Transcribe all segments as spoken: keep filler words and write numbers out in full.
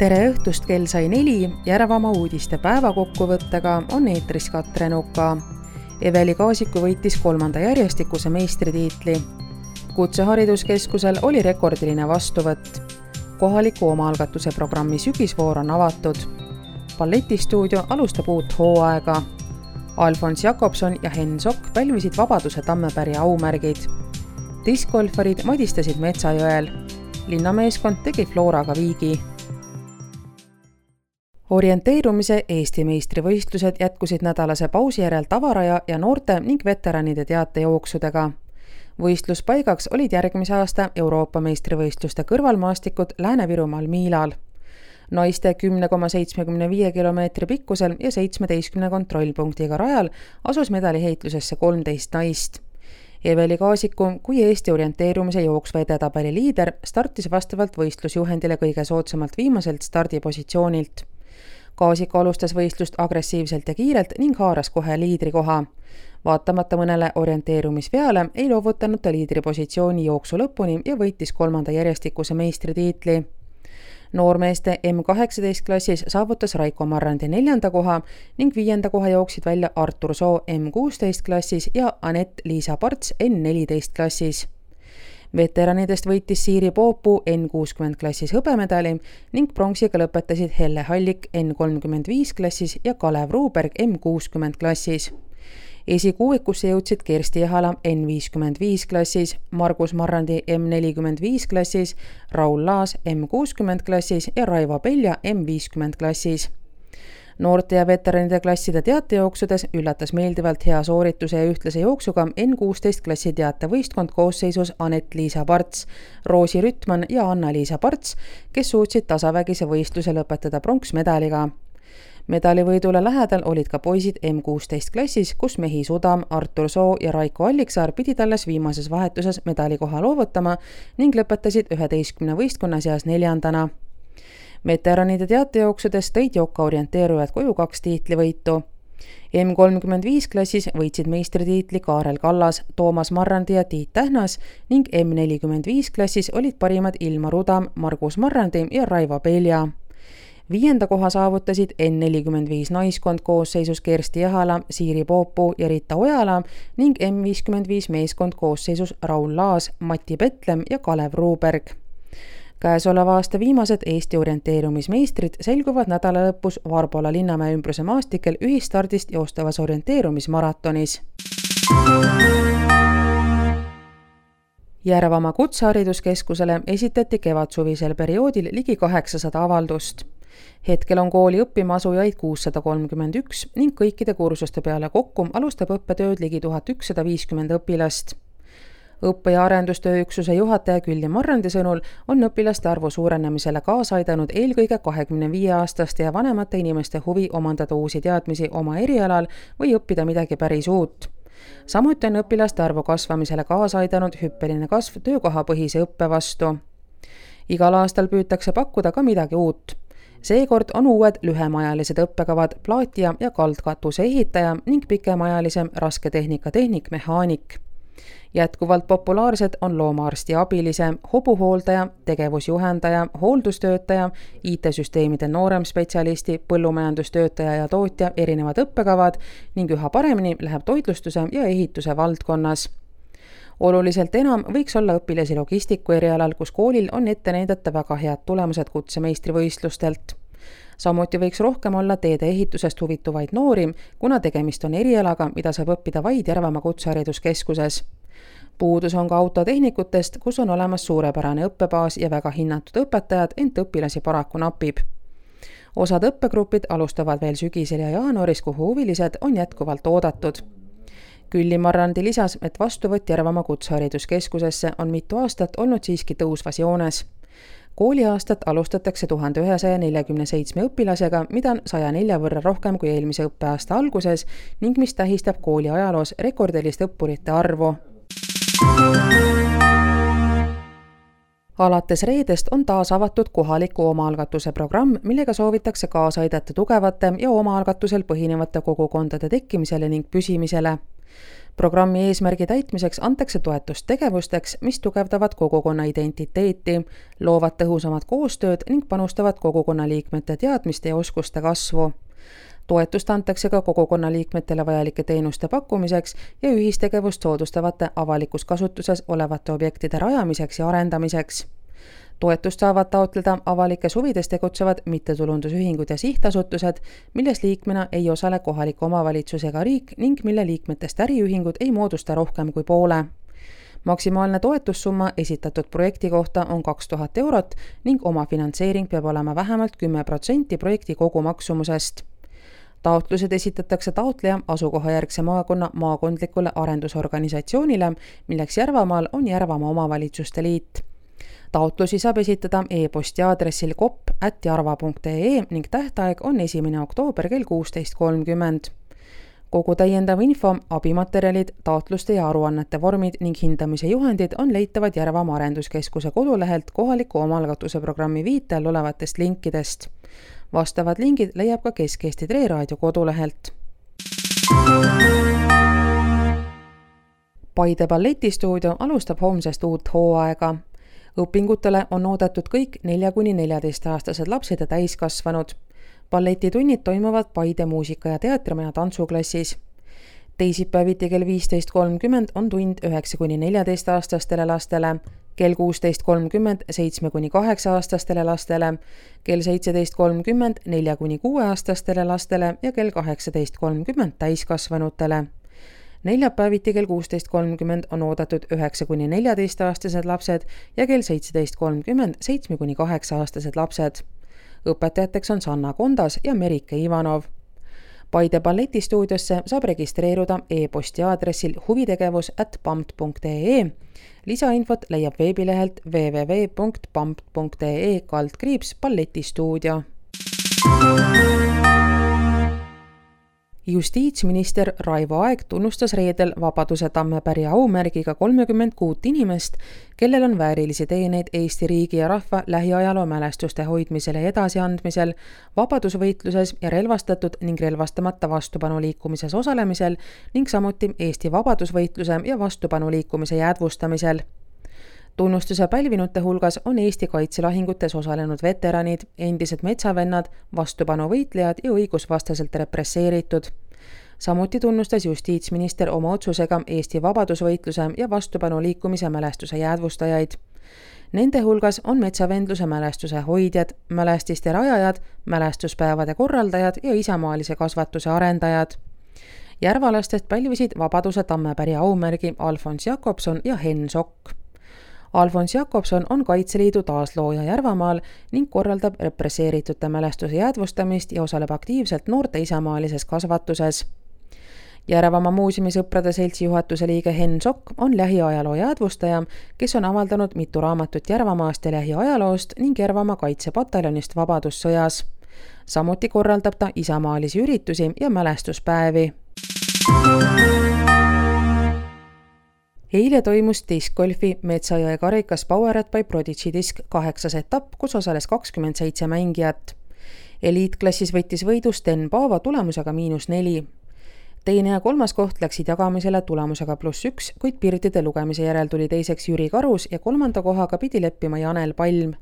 Tere õhtust, kell sai neli, Järvamaa uudiste päevakokkuvõttega on eetris Katre Nuka. Eveli Kaasiku võitis kolmanda järjestikuse meistritiitli. Kutsehariduskeskusel oli rekordiline vastuvõtt. Kohaliku omaalgatuse programmi sügisvoor on avatud. Balletistuudio alustab uut hooaega. Alfons Jakobson ja Henn Sokk pälvisid Vabaduse Tammepärja aumärgid. Diskgolfarid madistasid Metsajõel. Linnameeskond tegi Floraga viigi. Orienteerumise Eesti meistrivõistlused jätkusid nädalase pausi järel tavaraja ja noorte ning veteranide teatejooksudega. Võistluspaigaks olid järgmise aasta Euroopa meistrivõistluste kõrvalmaastikud Lääne-Virumaal Miilal. Naiste kümne koma seitsmekümne viie kilomeetri pikkusel ja seitsmeteistkümne kontrollpunktiga rajal asus medaliheitlusesse kolmteist naist. Eveli Kaasiku kui Eesti orienteerumise jooksva edetabeli liider startis vastavalt võistlusjuhendile kõige soodsamalt viimaselt stardipositsioonilt. Kaasiku alustas võistlust agressiivselt ja kiirelt ning haaras kohe liidrikoha. Vaatamata mõnele orienteerumisveale ei loovutanud ta liidripositsiooni jooksu lõpuni ja võitis kolmanda järjestikuse meistritiitli. Noormeeste M kaheksateist klassis saavutas Raiko Marrandi neljanda koha ning viienda koha jooksid välja Artur Soo M kuusteist klassis ja Anett-Liisa Parts N neliteist klassis. Veteranidest võitis Siiri Poopuu N kuuskümmend klassis hõbemedali ning pronksiga lõpetasid Helle Hallik N kolmkümmend viis klassis ja Kalev Ruuberg M kuuskümmend klassis. Esikuuikusse jõudsid Kersti Jahala N viiskümmend viis klassis, Margus Marrandi M nelikümmend viis klassis, Raul Laas M kuuskümmend klassis ja Raivo Pelja M viiskümmend klassis. Noorte ja veteranide klasside teatejooksudes üllatas meeldivalt hea soorituse ja ühtlase jooksuga N kuusteist klassi teatevõistkond koosseisus Anett-Liisa Parts, Roosi Rütman ja Anna-Liisa Parts, kes suutsid tasavägise võistluse lõpetada pronksmedaliga. Medalivõidule lähedal olid ka poisid M kuusteist klassis, kus mehi Sudam, Artur Soo ja Raiko Alliksaar pidid alles viimases vahetuses medalikoha loovutama ning lõpetasid üheteistkümne võistkonna seas neljandana. Veteranide teatejooksudes tõid Joka orienteerujad koju kaks tiitlivõitu. M kolmkümmend viis klassis võitsid meistritiitli Kaarel Kallas, Toomas Marrandi ja Tiit Tähnas ning M nelikümmend viis klassis olid parimad Ilmar Udam, Margus Marrandi ja Raivo Pelja. Viienda koha saavutasid N nelikümmend viis naiskond koosseisus Kersti Jahala, Siiri Poopuu ja Rita Ojala ning M viiskümmend viis meeskond koosseisus Raul Laas, Mati Petlem ja Kalev Ruuberg. Käesoleva aasta viimased Eesti orienteerumismeistrid selguvad nädala lõpus Varbola Linnamäe ümbruse maastikel ühistardist joostavas orienteerumismaratonis. Järvamaa Kutsehariduskeskusele esitati kevadsuvisel perioodil ligi kaheksasada avaldust. Hetkel on kooli õppima asujaid kuussada kolmkümmend üks ning kõikide kursuste peale kokku alustab õppetööd ligi tuhat ükssada viiskümmend õpilast. Õppe- ja arendustööüksuse juhataja Külli Marrandi sõnul on õpilaste arvu suurenemisele kaasa aidanud eelkõige kahekümne viie aastaste ja vanemate inimeste huvi omandada uusi teadmisi oma erialal või õppida midagi päris uut. Samuti on õpilaste arvu kasvamisele kaasa aidanud hüppeline kasv töökohapõhise õppe vastu. Igal aastal püütakse pakkuda ka midagi uut. Seekord on uued lühemaajalised õppekavad plaatija ja kaldkatuse ehitaja ning pikemaajalisem rasketehnika tehnik mehaanik. Jätkuvalt populaarsed on loomaarsti abilise, hobuhooldaja, tegevusjuhendaja, hooldustöötaja, I T-süsteemide noorem spetsialisti, põllumajandustöötaja ja tootja erinevad õppekavad ning üha paremini läheb toitlustuse ja ehituse valdkonnas. Oluliselt enam võiks olla õpilasi logistiku erialal, kus koolil on ette näidata väga head tulemused kutsemeistrivõistlustelt. Samuti võiks rohkem olla teede ehitusest huvituvaid noori, kuna tegemist on erialaga, mida saab õppida vaid Järvamaa Kutsehariduskeskuses. Puudus on ka autotehnikutest, kus on olemas suurepärane õppebaas ja väga hinnatud õpetajad, ent õpilasi paraku napib. Osad õppegrupid alustavad veel sügisel ja jaanuaris, kuhu huvilised on jätkuvalt oodatud. Külli Marrandi lisas, et vastuvõtt Järvamaa Kutsehariduskeskusesse on mitu aastat olnud siiski tõusvas joones. Kooliaastat alustatakse tuhat ühesaja neljakümne seitsme õpilasega, mida on saja nelja võrra rohkem kui eelmise õppeaasta alguses ning mis tähistab kooli ajaloos rekordilist õppurite arvu. Alates reedest on taas avatud kohaliku omaalgatuse programm, millega soovitakse kaasa aidata tugevate ja omaalgatusel põhinevate kogukondade tekkimisele ning püsimisele. Programmi eesmärgi täitmiseks antakse toetust tegevusteks, mis tugevdavad kogukonna identiteeti, loovad tõhusamat koostööd ning panustavad kogukonna liikmete teadmiste ja oskuste kasvu. Toetust antakse ka kogukonna liikmetele vajalike teenuste pakkumiseks ja ühistegevust soodustavate avalikus kasutuses olevate objektide rajamiseks ja arendamiseks. Toetust saavad taotleda avalikes huvides tegutsevad mittetulundusühingud ja sihtasutused, milles liikmena ei osale kohalik omavalitsus ega riik ning mille liikmetest äriühingud ei moodusta rohkem kui poole. Maksimaalne toetussumma esitatud projekti kohta on kaks tuhat eurot ning omafinantseering peab olema vähemalt kümme protsenti projekti kogumaksumusest. Taotlused esitatakse taotleja asukohajärgse maakonna maakondlikule arendusorganisatsioonile, milleks Järvamaal on Järvamaa Omavalitsuste Liit. Taotlusi saab esitada e-posti aadressil kopp ät jarva punkt ee ning tähtaeg on esimene oktoober kell kuusteist kolmkümmend. Kogu täiendav info, abimaterjalid, taotluste ja aruannete vormid ning hindamise juhendid on leitavad Järvamaa Arenduskeskuse kodulehelt kohaliku omalgatuse programmi viite all olevatest linkidest. Vastavad lingid leiab ka Kesk-Eesti Tre Raadio kodulehelt. Paide balletistuudio alustab homsest uut hooaega. Õpingutele on oodatud kõik nelja kuni neljateist-aastased lapsed ja täiskasvanud. Balletitunnid toimuvad Paide muusika- ja teatrimaja tantsuklassis. Teisipäeviti kell viisteist kolmkümmend on tund üheksa kuni neljateist-aastastele lastele, kell kuusteist kolmkümmend seitsme kuni kaheksa-aastastele lastele, kell seitseteist kolmkümmend nelja kuni kuue-aastastele lastele ja kell kaheksateist kolmkümmend täiskasvanutele. Neljapäeviti kell kuusteist kolmkümmend on oodatud üheksa kuni neljateist-aastased lapsed ja kell seitseteist kolmkümmend seitsme kuni kaheksa-aastased lapsed. Õpetajateks on Sanna Kondas ja Merike Ivanov. Paide balletistuudiosse saab registreeruda e-posti aadressil huvitegevus ät pampt punkt ee. Lisainfot leiab veebilehelt w w w punkt pampt punkt ee kaldkriips balletistuudio. Justiitsminister Raivo Aeg tunnustas reedel Vabaduse Tammepäri aumärgiga kolmekümmend kuut inimest, kellel on väärilisi teeneid Eesti riigi ja rahva lähiajaloo mälestuste hoidmisel ja edasiandmisel, vabadusvõitluses ja relvastatud ning relvastamata vastupanuliikumises osalemisel ning samuti Eesti vabadusvõitluse ja vastupanuliikumise jäädvustamisel. Tunnustuse pälvinute hulgas on Eesti kaitselahingutes osalenud veteranid, endised metsavennad, vastupanuvõitlejad ja õigusvastaselt represseeritud. Samuti tunnustas justiitsminister oma otsusega Eesti vabadusvõitluse ja vastupanuliikumise mälestuse jäädvustajaid. Nende hulgas on metsavendluse mälestuse hoidjad, mälestiste rajajad, mälestuspäevade korraldajad ja isamaalise kasvatuse arendajad. Järvalastest pälvisid Vabaduse Tammepäri aumärgi Alfons Jakobson ja Henn Sokk. Alfons Jakobson on Kaitseliidu taaslooja Järvamaal ning korraldab represseeritute mälestuse jäädvustamist ja osaleb aktiivselt noorte isamaalises kasvatuses. Järvamaa muuseumi sõprade seltsi juhatuse liige Henn Sokk on lähiajaloo jäädvustaja, kes on avaldanud mitu raamatut Järvamaast ja lähiajaloost ning Järvamaa kaitsepataljonist Vabadussõjas. Samuti korraldab ta isamaalisi üritusi ja mälestuspäevi. Eile toimus diskgolfi Metsajõe karikas Powered by Prodigy disk kaheksas etapp, kus osales kakskümmend seitse mängijat. Eliitklassis võttis võidu Sten Paavo tulemusega miinus neli. Teine ja kolmas koht läksid jagamisele tulemusega pluss üks, kuid pirdide lugemise järel tuli teiseks Jüri Karus ja kolmanda kohaga pidi leppima Janel Palm.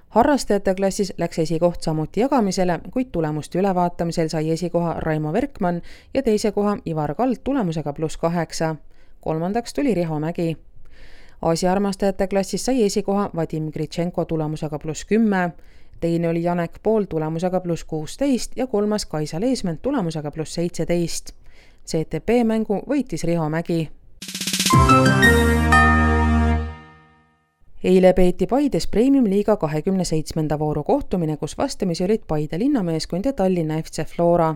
Harrastajate klassis läks esikoht samuti jagamisele, kuid tulemuste ülevaatamisel sai esikoha Raimo Verkmann ja teise koha Ivar Kald tulemusega pluss kaheksa. Kolmandaks tuli Riho Mägi. Aasiaarmastajate klassis sai esikoha Vadim Gritšenko tulemusega pluss kümme, teine oli Janek Pool tulemusega pluss kuusteist ja kolmas Kaisa Leesment tulemusega pluss seitseteist. C T P mängu võitis Riho Mägi. Eile peeti Paides Premium-liiga kahekümne seitsmenda vooru kohtumine, kus vastamisi olid Paide linnameeskond ja Tallinna F C Flora.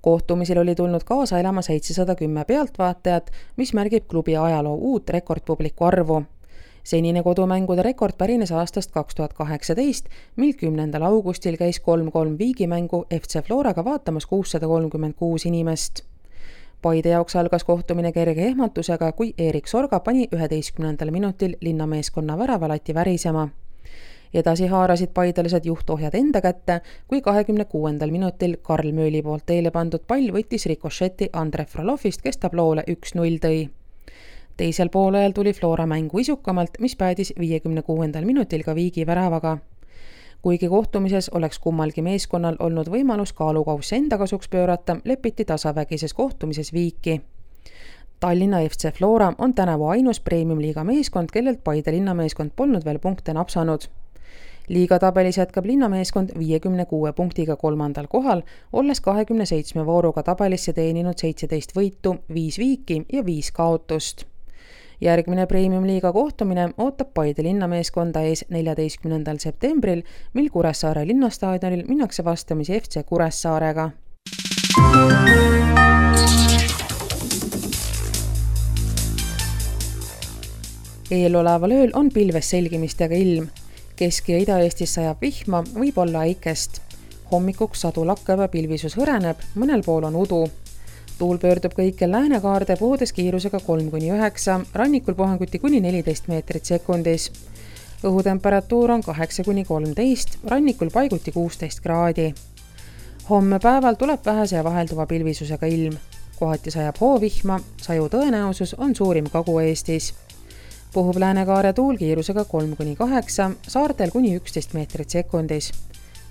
Kohtumisel oli tulnud kaasa elama seitsesada kümme pealtvaatajat, mis märgib klubi ajaloo uut rekordpubliku arvu. Senine kodumängude rekord pärines aastast kaks tuhat kaheksateist, mil kümnendal augustil käis kolm kolm viigimängu F C Floraga vaatamas kuussada kolmkümmend kuus inimest. Paide jaoks algas kohtumine kerge ehmatusega, kui Erik Sorga pani üheteistkümnendal minutil linnameeskonna väravalati värisema. Edasi haarasid paidelased juhtohjad enda kätte, kui kahekümne kuuendal minutil Karl Mööli poolt teele pandud pall võttis rikošeti Andre Fralovist, kes tabloole üks null tõi. Teisel poolajal tuli Flora mängu isukamalt, mis päädis viiekümne kuuendal minutil ka viigi väravaga. Kuigi kohtumises oleks kummalgi meeskonnal olnud võimalus kaalukausse enda kasuks pöörata, lepiti tasavägises kohtumises viiki. Tallinna F C Flora on tänavu ainus premium-liiga meeskond, kellelt Paide linnameeskond polnud veel punkte napsanud. Liiga tabelis jätkab linnameeskond viiekümne kuue punktiga kolmandal kohal, olles kahekümne seitsme vooruga tabelisse teeninud seitseteist võitu, viis viiki ja viis kaotust. Järgmine premium-liiga kohtumine ootab Paide linnameeskonda ees neljateistkümnendal septembril, mil Kuressaare linnastaadionil minnakse vastamisi F C Kuressaarega. Eeloleval ööl on pilves selgimistega ilm. Kesk- ja Ida-Eestis sajab vihma, võib olla äikest. Hommikuks sadu lakkab ja pilvisus hõreneb, mõnel pool on udu. Tuul pöördub kõikjal läänekaarde puhudes kiirusega kolm kuni üheksa, rannikul puhanguti kuni neliteist meetrit sekundis. Õhutemperatuur on kaheksa kuni kolmteist, rannikul paiguti kuusteist kraadi. Homme päeval tuleb vähese ja vahelduva pilvisusega ilm. Kohati sajab hoovihma, saju tõenäosus on suurim Kagu-Eestis. Puhub läänekaare tuul kiirusega kolm kuni kaheksa, saartel kuni üksteist meetrit sekundis.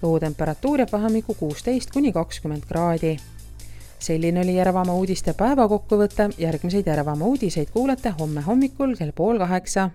Õhutemperatuur jääb vahemikku kuusteist kuni kakskümmend kraadi. Selline oli Järvamaa uudiste päevakokkuvõte, järgmiseid Järvamaa uudiseid kuulete homme hommikul kell pool kaheksa.